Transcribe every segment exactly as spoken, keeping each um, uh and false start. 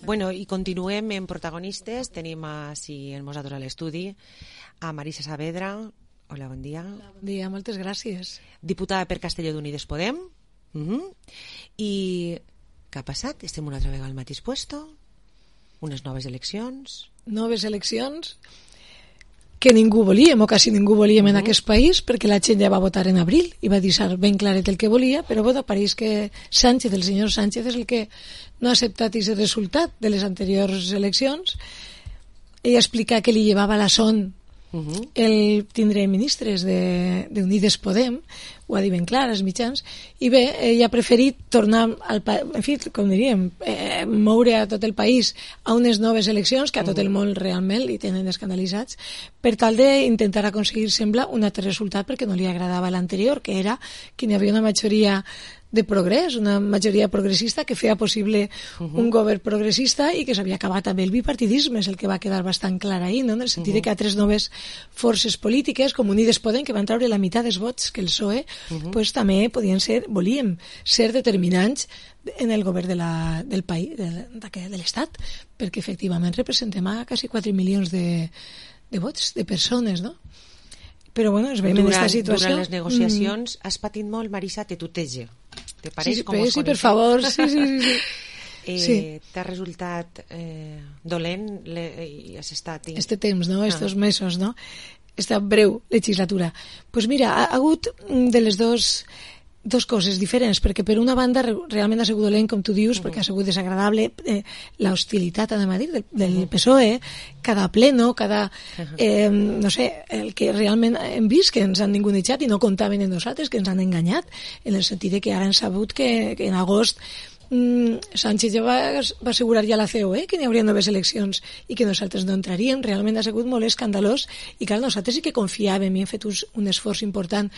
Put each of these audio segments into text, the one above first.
Bueno, i continuem en protagonistes. Tenim així en nosaltres a l'estudi a Marisa Saavedra. Hola, bon dia. Hola, bon dia, moltes gràcies. Diputada per Castelló d'Unides Podem. Uh-huh. I què ha passat? Estem una altra vegada al mateix puesto? Unes noves eleccions? Noves eleccions que ningú volíem, o quasi ningú volíem uh-huh. en aquest país, perquè la gent ja va votar en abril i va deixar ben claret el que volia, però bueno, pareix que Sánchez, el senyor Sánchez, és el que no ha acceptat aquest resultat de les anteriors eleccions. Ell explica que li llevava la son uh-huh. el tindre ministres d'Unides Podem, ho ha dit ben clar als mitjans, i bé, ell ha preferit tornar al pa- en fi, com diríem, eh, moure a tot el país a unes noves eleccions que a tot el món realment li tenen escandalitzats, per tal d'intentar aconseguir, sembla, un altre resultat perquè no li agradava l'anterior, que era que hi havia una majoria de progrés, una majoria progressista que feia possible uh-huh. un govern progressista i que s'havia acabat amb el bipartidisme, és el que va quedar bastant clar ahir, no? En el sentit uh-huh. de que altres noves forces polítiques, com Unides Podem, que van treure la meitat dels vots que el P S O E, uh-huh. pues, també podien ser, volíem ser determinants en el govern de la, del país, de, de, de l'Estat, perquè efectivament representem a quasi quatre milions de, de vots, de persones, no? Però bueno, es veiem en aquesta situació. Durant les negociacions mm. has patit molt, Marisa, te tuteja. Te pareix sí, sí, com sí, sí, per favor, sí, sí, sí. sí. eh, sí. T'ha resultat eh, dolent le, i has estat... I... Este temps, no? Estos ah. mesos, no? Esta breu legislatura. Pues mira, ha, ha hagut de les dos... dos coses diferents, perquè per una banda realment ha sigut dolent, com tu dius, uh-huh. perquè ha sigut desagradable eh, l'hostilitat, anem a dir, del, del uh-huh. P S O E, cada pleno, cada uh-huh. eh, no sé, el que realment hem vist que ens han ningunejat i no comptaven en nosaltres, que ens han enganyat, en el sentit de que ara han sabut que, que en agost mm, Sánchez ja va, va assegurar ja a la C O E que n'hi hauria noves eleccions i que nosaltres no entraríem. Realment ha sigut molt escandalós i clar, nosaltres sí que confiàvem i hem fet un, un esforç important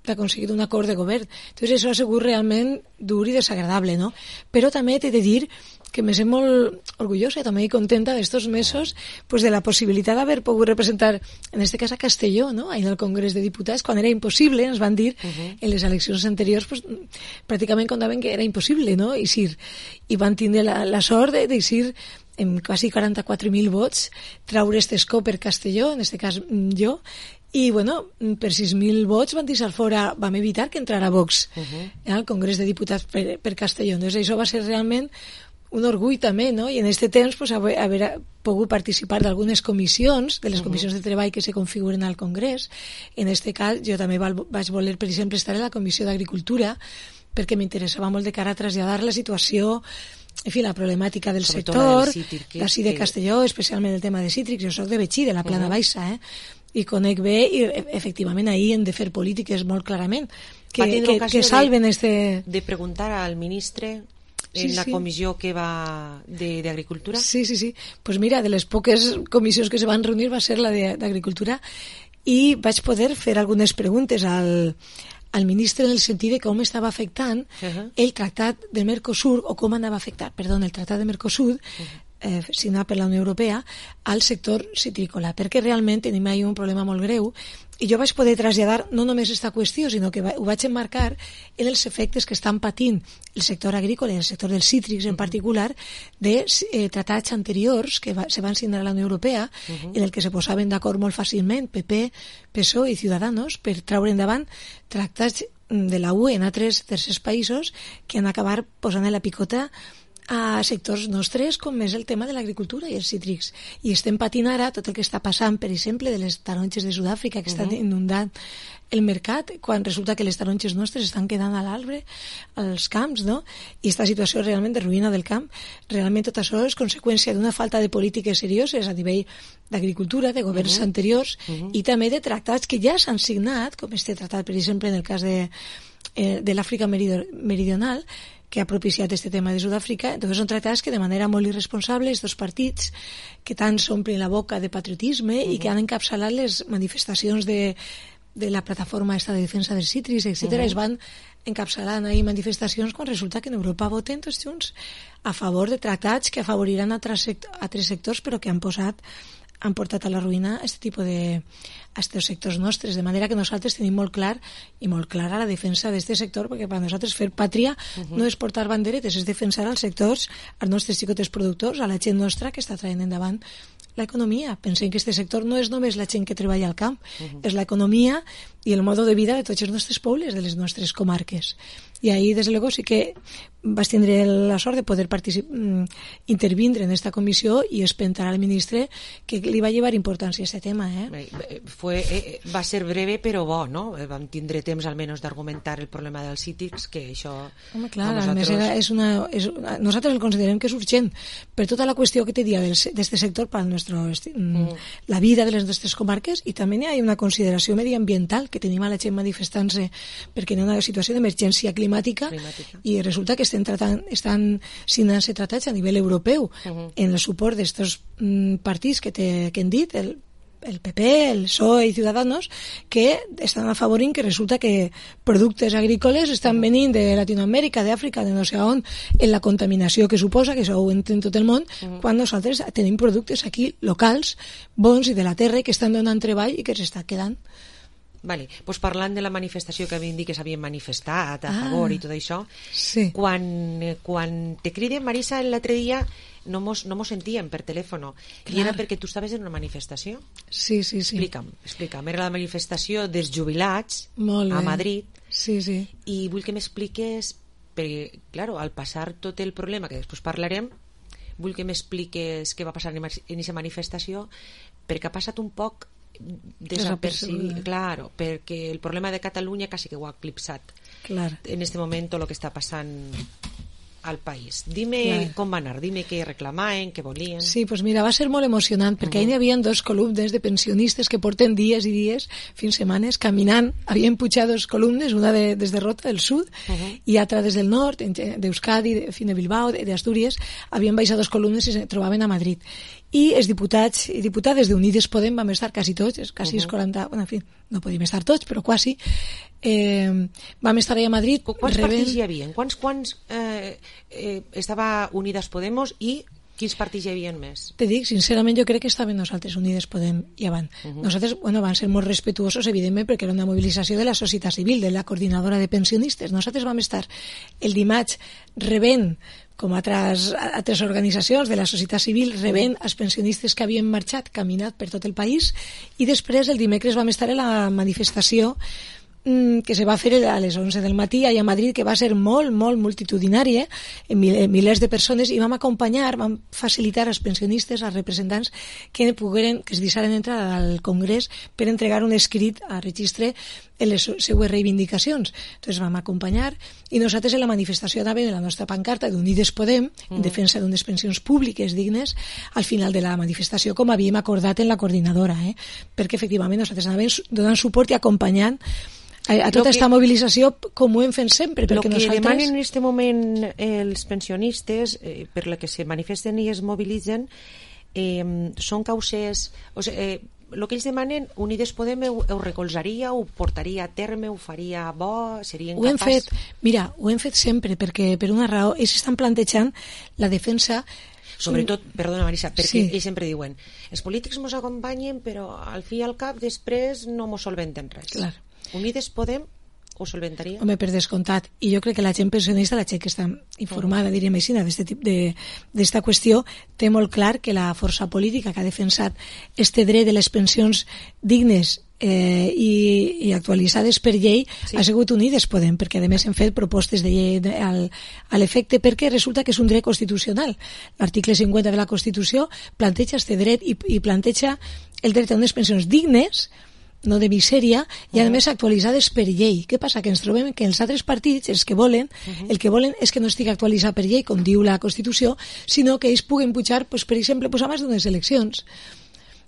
d'aconseguir un acord de govern. Entonces això ha sigut realment dur i desagradable, no? Però també t'he de dir que me sent molt orgullosa i també contenta d'estos mesos pues, de la possibilitat d'haver pogut representar, en este cas a Castelló, no? Ahí en el Congrés de Diputats, quan era impossible, ens van dir uh-huh. en les eleccions anteriors, pues, pràcticament contaven que era impossible, no? Eixir. I van tindre la, la sort d'eixir amb quasi quaranta-quatre mil vots, traure este escó per Castelló, en este cas jo, i bueno, per sis mil vots van deixar fora, vam evitar que entrara Vox uh-huh. al Congrés de Diputats per, per Castelló. Entonces això va ser realment un orgull també, no? I en aquest temps pues, haver, haver pogut participar d'algunes comissions, de les uh-huh. comissions de treball que se configuren al Congrés. En aquest cas jo també val, vaig voler, per exemple, estar a la Comissió d'Agricultura perquè m'interessava molt de cara a traslladar la situació, en fi, la problemàtica del Sobretot sector, d'ací de Castelló, especialment el tema de cítrics. Jo soc de Betxí, de la Plana uh-huh. Baixa, eh? I conec bé, i efectivament ahir hem de fer polítiques molt clarament que, que, que salven de, este... de preguntar al ministre en sí, la sí. comissió que va d'Agricultura. Sí, sí, sí. Pues mira, de les poques comissions que se van reunir va ser la d'Agricultura i vaig poder fer algunes preguntes al, al ministre en el sentit de com estava afectant uh-huh. el tractat de Mercosur, o com anava a afectar, perdó, el tractat de Mercosur uh-huh. eh, signat per la Unió Europea al sector citrícola, perquè realment tenim ahí un problema molt greu i jo vaig poder traslladar no només aquesta qüestió, sinó que va, ho vaig emmarcar en els efectes que estan patint el sector agrícola i el sector dels cítrics en particular de eh, tractats anteriors que va, se van signar a la Unió Europea uh-huh. en el que se posaven d'acord molt fàcilment P P, P S O E i Ciudadanos per traure endavant tractats de la U E en altres tercers països que han acabar posant en la picota a sectors nostres com és el tema de l'agricultura i els cítrics. I estem patint ara tot el que està passant, per exemple, de les taronges de Sud-àfrica que uh-huh. estan inundant el mercat, quan resulta que les taronges nostres estan quedant a l'arbre, als camps, no? I aquesta situació realment de ruïna del camp, realment tot això és conseqüència d'una falta de polítiques serioses a nivell d'agricultura, de governs uh-huh. anteriors, uh-huh. i també de tractats que ja s'han signat, com este tractat, per exemple, en el cas de, eh, de l'Àfrica meridional, que ha propiciat este tema de Sud-àfrica. Entonces són tractats que de manera molt irresponsable estos partits que tant s'omplen la boca de patriotisme uh-huh. i que han encapçalat les manifestacions de, de la plataforma esta de defensa dels cítrics, etcètera. Uh-huh. Es van encapçalant ahí manifestacions quan resulta que en Europa voten tots junts a favor de tractats que afavoriran altres, sect- altres sectors però que han posat han portat a la ruïna aquest tipus de a aquests sectors nostres, de manera que nosaltres tenim molt clar i molt clara la defensa d'aquest sector, perquè per a nosaltres fer pàtria uh-huh. no és portar banderetes, és defensar els sectors, als nostres xicotes productors, a la gent nostra que està traient endavant l'economia. Pensem que aquest sector no és només la gent que treballa al camp, uh-huh. és l'economia i el modo de vida de tots els nostres pobles, de les nostres comarques. I ahí, des de luego, sí que vas tindre la sort de poder participar, intervindre en esta comissió i espentar al ministre que li va llevar importància a aquest tema. Eh? Fue, eh, va ser breve però bo, no? Vam tindre temps almenys d'argumentar el problema dels cítrics, que això... Home, clar, nosaltres... a més era, és una, és una, nosaltres el considerem que és urgent per tota la qüestió que té dia d'aquest sector per nostre, mm. la vida de les nostres comarques, i també hi ha una consideració mediambiental que tenim a la gent manifestant-se perquè hi ha una situació d'emergència climàtica, climàtica i resulta que estan, tratant, estan signant-se tractats a nivell europeu uh-huh. en el suport d'estos mm, partits que, te, que hem dit, el, el P P, el P S O E i Ciudadanos, que estan afavorint que resulta que productes agrícoles estan uh-huh. venint de Latinoamèrica, d'Àfrica, de no sé on, en la contaminació que suposa, que això ho entén tot el món, uh-huh. quan nosaltres tenim productes aquí locals, bons i de la terra, que estan donant treball i que s'està quedant. Vale, pues parlant de la manifestació que havien dit que s'havien manifestat a ah, favor i tot això, sí. quan, quan te criden, Marisa, l'altre dia no mos, no mos sentíem per telèfon, i era perquè tu estaves en una manifestació. Sí, sí, sí. Explica'm, explica'm. Era la manifestació dels jubilats Molt a bé. Madrid. Sí, sí. I vull que m'expliques, perquè, claro, al passar tot el problema, que després parlarem, vull que m'expliques què va passar en aquesta manifestació, perquè ha passat un poc desapercibit, claro, perquè el problema de Catalunya quasi que ho ha eclipsat claro. en este momento lo que està passant al país. Dime claro. com va anar, dime què reclamaven, què volien. Sí, pues mira, va ser molt emocionant, perquè uh-huh. ahir hi havia dos columnes de pensionistes que porten dies i dies, fins setmanes, caminant. Havien pujat dos columnes, una de, des de Rota, del sud, uh-huh. i altra des del nord, d'Euskadi, de, de Bilbao, d'Astúries. Havien baixat dos columnes i se trobaven a Madrid. I els diputats i diputades d'Unides Podem vam estar quasi tots, quasi uh-huh. quaranta, bueno, en fi, no podíem estar tots, però quasi. Eh, vam estar allà a Madrid. Quants rebent... partits hi havia? Quants, quants eh, eh, estava Unides Podemos i quins partits hi havia més? Te dic, sincerament, jo crec que estaven nosaltres, Unides Podem i avant. Uh-huh. Nosaltres, bueno, van ser molt respetuosos, evidentment, perquè era una mobilització de la societat civil, de la coordinadora de pensionistes. Nosaltres vam estar el dimarts rebent, com altres, altres organitzacions de la societat civil, rebent els pensionistes que havien marxat, caminat per tot el país, i després el dimecres vam estar a la manifestació que se va fer a les onze del matí allà a Madrid, que va ser molt, molt multitudinària, eh? milers de persones, i vam acompanyar, vam facilitar als pensionistes, als representants, que pogueren, que es deixaren entrar al Congrés per entregar un escrit a registre en les seues reivindicacions. Entonces vam acompanyar, i nosaltres en la manifestació anàvem en la nostra pancarta d'Unides Podem, en defensa d'unes pensions públiques dignes, al final de la manifestació, com havíem acordat en la coordinadora, eh? perquè efectivament nosaltres anàvem donant suport i acompanyant a tota aquesta mobilització, com ho hem fet sempre, perquè el que nosaltres... demanen en aquest moment els pensionistes, eh, per la que se manifesten i es mobilitzen, eh, són causes... O sigui, eh, el que ells demanen, Unides Podem ho, ho recolzaria, ho portaria a terme, ho faria bo, seria incapaç... Ho hem fet, mira, ho hem fet sempre, perquè per una raó, ells estan plantejant la defensa... Sobretot, perdona Marisa, perquè sí. ells sempre diuen els polítics mos acompanyen, però al fi i al cap després no mos solventen res. Clar. Unides Podem ho solventaria? Home, per descomptat. I jo crec que la gent pensionista, la gent que està informada, uh-huh. diríem així, d'esta qüestió, té molt clar que la força política que ha defensat este dret de les pensions dignes eh, i, i actualitzades per llei sí. ha sigut Unides Podem, perquè a més hem fet propostes de llei de, al, a l'efecte, perquè resulta que és un dret constitucional. L'article cinquanta de la Constitució planteja este dret i, i planteja el dret a unes pensions dignes, no de misèria, i a més actualitzades per llei. Què passa? Que ens trobem que els altres partits, els que volen, uh-huh. el que volen és que no estigui actualitzat per llei, com diu la Constitució, sinó que ells puguen pujar, pues, per exemple, pues, abans d'unes eleccions.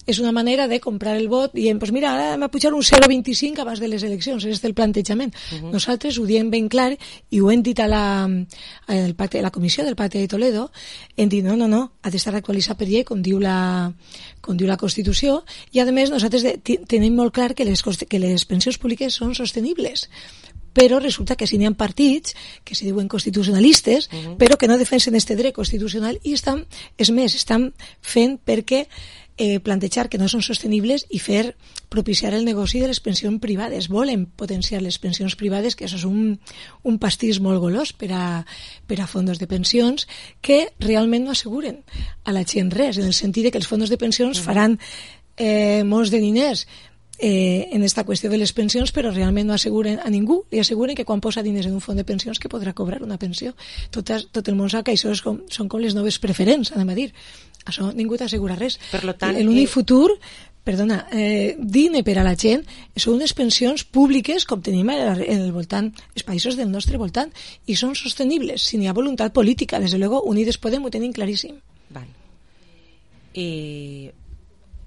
És una manera de comprar el vot dient, pues mira, ara m'ha pujat un zero coma vint-i-cinc abans de les eleccions, és el plantejament. Uh-huh. Nosaltres ho diem ben clar i ho hem dit a la, a el pacte, a la comissió del Pacte de Toledo, hem dit, no, no, no, ha d'estar actualitzat per llei, com diu la, com diu la Constitució, i a més nosaltres de, tenim molt clar que les, que les pensions públiques són sostenibles, però resulta que si n'hi ha partits que se diuen constitucionalistes, uh-huh. però que no defensen este dret constitucional i estan, és més, estan fent perquè eh, plantejar que no són sostenibles i fer propiciar el negoci de les pensions privades. Volen potenciar les pensions privades, que això és un, un pastís molt golós per a, per a fondos de pensions que realment no asseguren a la gent res, en el sentit que els fondos de pensions faran eh, molts de diners eh, en esta qüestió de les pensions, però realment no asseguren a ningú, li asseguren que quan posa diners en un fons de pensions que podrà cobrar una pensió. Tot, tot el món sap que això és com, són com les noves preferents, anem a dir. Això ningú t'assegura res. Per lo tant, l'únic eh... futur, perdona, eh, digne per a la gent són unes pensions públiques com tenim en el voltant, els països del nostre voltant, i són sostenibles, si n'hi ha voluntat política. Des de luego, Unides Podem ho tenim claríssim. Val. Eh,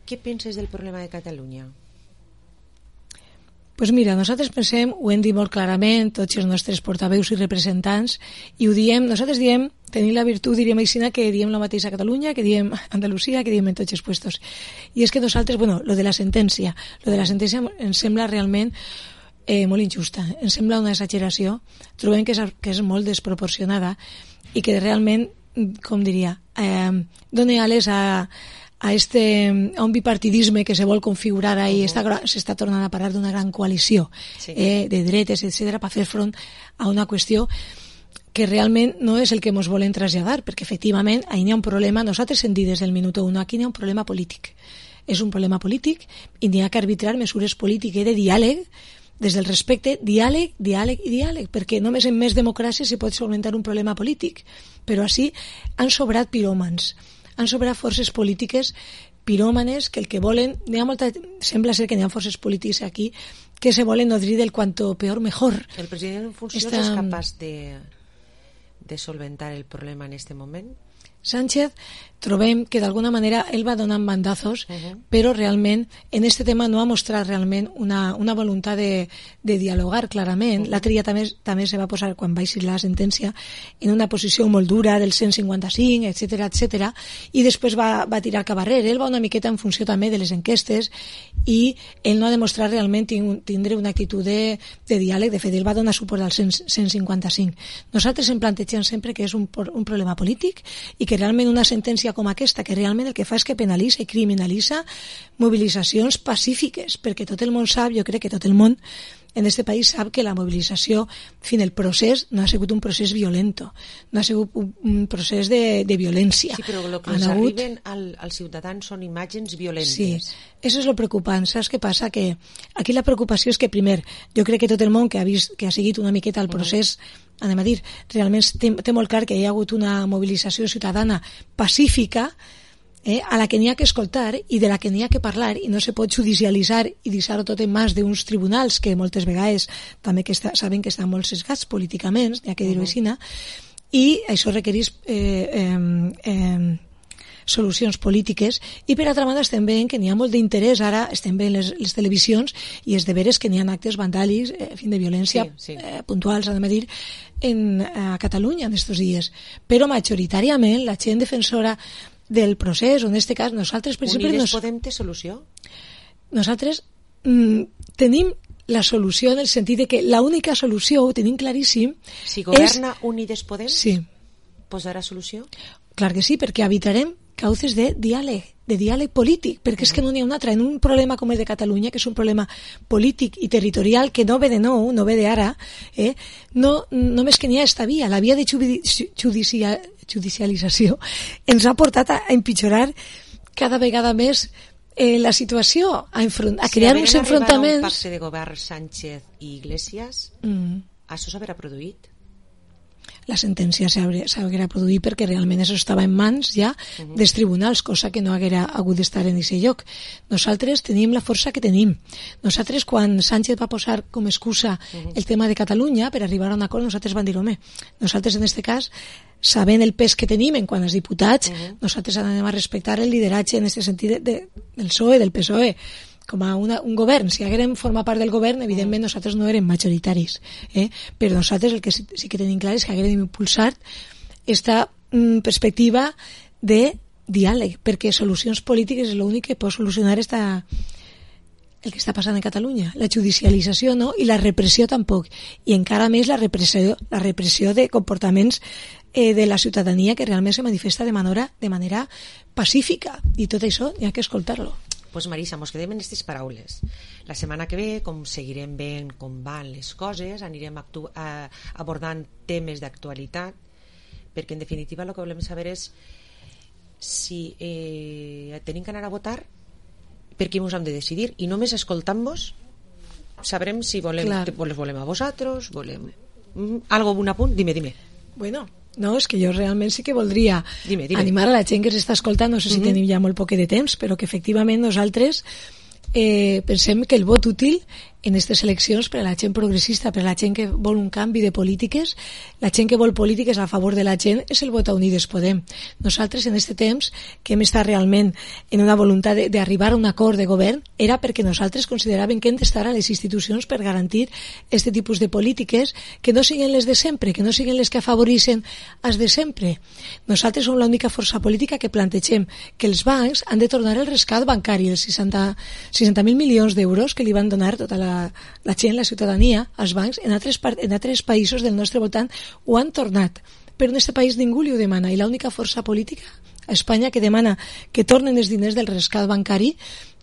què penses del problema de Catalunya? Pues mira, nosaltres pensem, ho hem dit molt clarament, tots els nostres portaveus i representants, i ho diem, nosaltres diem, tenim la virtut, diríem així, que diem la mateixa a Catalunya, que diem a Andalusia, que diem en tots els puestos. I és que nosaltres, bueno, lo de la sentència, lo de la sentència ens sembla realment eh, molt injusta, ens sembla una exageració, trobem que és, que és molt desproporcionada i que realment, com diria, eh, dona ales a... a, este, a un bipartidisme que se vol configurar ahí, uh-huh. s'està tornant a parar d'una gran coalició sí. eh, de dretes, etcètera, per fer front a una qüestió que realment no és el que ens volen traslladar, perquè efectivament ahí n'hi ha un problema, nosaltres hem dit des del minut un, aquí n'hi ha un problema polític. És un problema polític i n'hi ha que arbitrar mesures polítiques de diàleg, des del respecte, diàleg, diàleg i diàleg, perquè només en més democràcia se pot solventar un problema polític. Però així han sobrat piròmans, han sobrat forces polítiques piròmanes que el que volen, n'hi ha molta, sembla ser que n'hi ha forces polítiques aquí que se volen nodrir del cuanto peor mejor. El president en funcions Esta... és capaç de, de solventar el problema en este moment? Sánchez, trobem que d'alguna manera ell va donant bandazos, uh-huh. però realment en este tema no ha mostrat realment una, una voluntat de, de dialogar clarament. Uh-huh. L'altre dia també, també se va posar, quan va eixir la sentència, en una posició molt dura del cent cinquanta-cinc, etcètera, etcètera, i després va, va tirar cap arrere. Ell va una miqueta en funció també de les enquestes i ell no ha demostrat realment tindre una actitud de, de diàleg. De fet, ell va donar suport al cent cinquanta-cinc. Nosaltres em plantegem sempre que és un, un problema polític i que realment una sentència com aquesta, que realment el que fa és que penalitza i criminalitza mobilitzacions pacífiques, perquè tot el món sap, jo crec que tot el món en aquest país sap que la mobilització, en fi, el procés no ha sigut un procés violento, no ha sigut un, un procés de, de violència. Sí, però el que ens hagut... arriben al, als ciutadans són imatges violentes. Sí, això és el preocupant. Saps què passa? Que aquí la preocupació és que, primer, jo crec que tot el món que ha vist, que ha seguit una miqueta el procés, uh-huh. anem a dir, realment té, té molt clar que hi ha hagut una mobilització ciutadana pacífica, Eh, a la que n'hi ha que escoltar i de la que n'hi ha que parlar i no se pot judicialitzar i deixar-ho tot en mans d'uns tribunals que moltes vegades també que està, saben que estan molt sesgats políticament, n'hi ha que dir-ho així, i això requereix eh, eh, eh, solucions polítiques i per altra banda estem veient que n'hi ha molt d'interès, ara estem veient les, les televisions i és de veres que n'hi ha actes vandàlics, eh, fin de violència sí, sí. Eh, puntuals, anem a dir, en, a Catalunya en estos dies, però majoritàriament la gent defensora del procés, o en aquest cas nosaltres per exemple... Unides nos... Podem té solució? Nosaltres mm, tenim la solució en el sentit de que l'única solució, ho tenim claríssim... Si governa és... Unides Podem, sí. posarà solució? Clar que sí, perquè evitarem cauces de diàleg, de diàleg polític, perquè és que no n'hi ha un altre. En un problema com el de Catalunya, que és un problema polític i territorial que no ve de nou, no ve d'ara, eh? no, només que n'hi ha esta via, la via de judicial, judicialització, ens ha portat a, a empitjorar cada vegada més eh, la situació, a, enfront, a crear si uns enfrontaments... Si un pacte de govern Sánchez i Iglesias, mm. això s'haurà produït? La sentència s'haguera produït perquè realment això estava en mans ja uh-huh. dels tribunals, cosa que no haguera hagut d'estar en aquest lloc. Nosaltres tenim la força que tenim. Nosaltres, quan Sánchez va posar com excusa uh-huh. el tema de Catalunya per arribar a un acord, nosaltres vam dir, home, nosaltres en aquest cas, sabent el pes que tenim en quant als diputats, uh-huh. nosaltres anem a respectar el lideratge en aquest sentit de, de, del P S O E, del P S O E, com a una, un govern. Si haguérem format part del govern, evidentment nosaltres no érem majoritaris, eh? però nosaltres el que sí, sí que tenim clar és que haguérem impulsat esta mm, perspectiva de diàleg, perquè solucions polítiques és l'únic que pot solucionar esta, el que està passant en Catalunya, la judicialització no, i la repressió tampoc, i encara més la repressió, la repressió de comportaments eh, de la ciutadania que realment se manifesta de manera, de manera pacífica, i tot això hi ha que escoltar-lo. Pues Marisa, mos quedem en aquestes paraules. La setmana que ve, com seguirem veient com van les coses, anirem actu- a, abordant temes d'actualitat, perquè en definitiva el que volem saber és si eh, tenim que anar a votar, per qui ens hem de decidir, i només escoltant-vos sabrem si volem, que les volem a vosaltres, volem mm, algo, un apunt, dime, dime. Bueno, no, és que jo realment sí que voldria dime, dime. animar a la gent que s'està escoltant, no sé si mm-hmm. tenim ja molt poc de temps, però que efectivament nosaltres eh, pensem que el vot útil en aquestes eleccions per a la gent progressista, per a la gent que vol un canvi de polítiques, la gent que vol polítiques a favor de la gent, és el vot a Unides Podem. Nosaltres en aquest temps que hem estat realment en una voluntat d'arribar a un acord de govern era perquè nosaltres consideràvem que hem d'estar a les institucions per garantir aquest tipus de polítiques que no siguin les de sempre, que no siguin les que afavoreixen els de sempre. Nosaltres som l'única força política que plantegem que els bancs han de tornar el rescat bancari, els seixanta mil milions d'euros que li van donar tota la la gent, la ciutadania, els bancs en altres, en altres països del nostre voltant ho han tornat, però en aquest país ningú li ho demana, i l'única força política a Espanya que demana que tornen els diners del rescat bancari,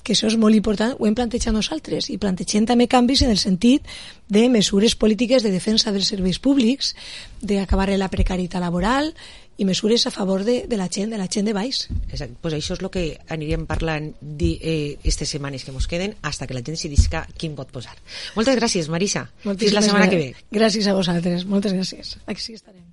que això és molt important, ho hem plantejat nosaltres, i plantegem també canvis en el sentit de mesures polítiques de defensa dels serveis públics, d'acabar la precarietat laboral i mesures a favor de, de la gent, de la gent de baix. Exacte, pues això és el que anirem parlant aquestes eh, setmanes que ens queden hasta que la gent decidisca quin vot posar. Moltes gràcies, Marisa. Moltíssimes Fins la setmana que ve. Gràcies a vosaltres, moltes gràcies. Aquí estarem.